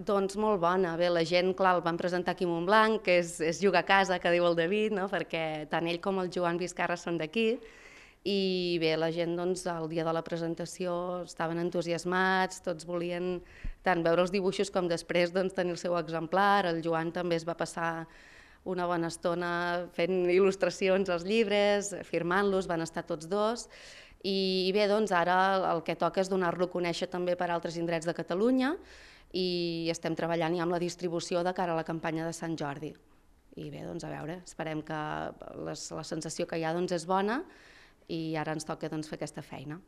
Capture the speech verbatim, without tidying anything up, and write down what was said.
Doncs molt bona. Bé, la gent, clar, el van presentar aquí a Montblanc, que és, és jugar a casa, que diu el David, no? Perquè tant ell com el Joan Vizcarra són d'aquí, i bé, la gent doncs, el dia de la presentació estaven entusiasmats, tots volien tant veure els dibuixos com després doncs, tenir el seu exemplar. El Joan també es va passar una bona estona fent il·lustracions als llibres, firmant-los, van estar tots dos. I bé, doncs ara el que toca és donar-lo a conèixer també per altres indrets de Catalunya i estem treballant ja amb la distribució de cara a la campanya de Sant Jordi. I bé, doncs a veure, esperem que les, la sensació que hi ha doncs, és bona i ara ens toca doncs, fer aquesta feina.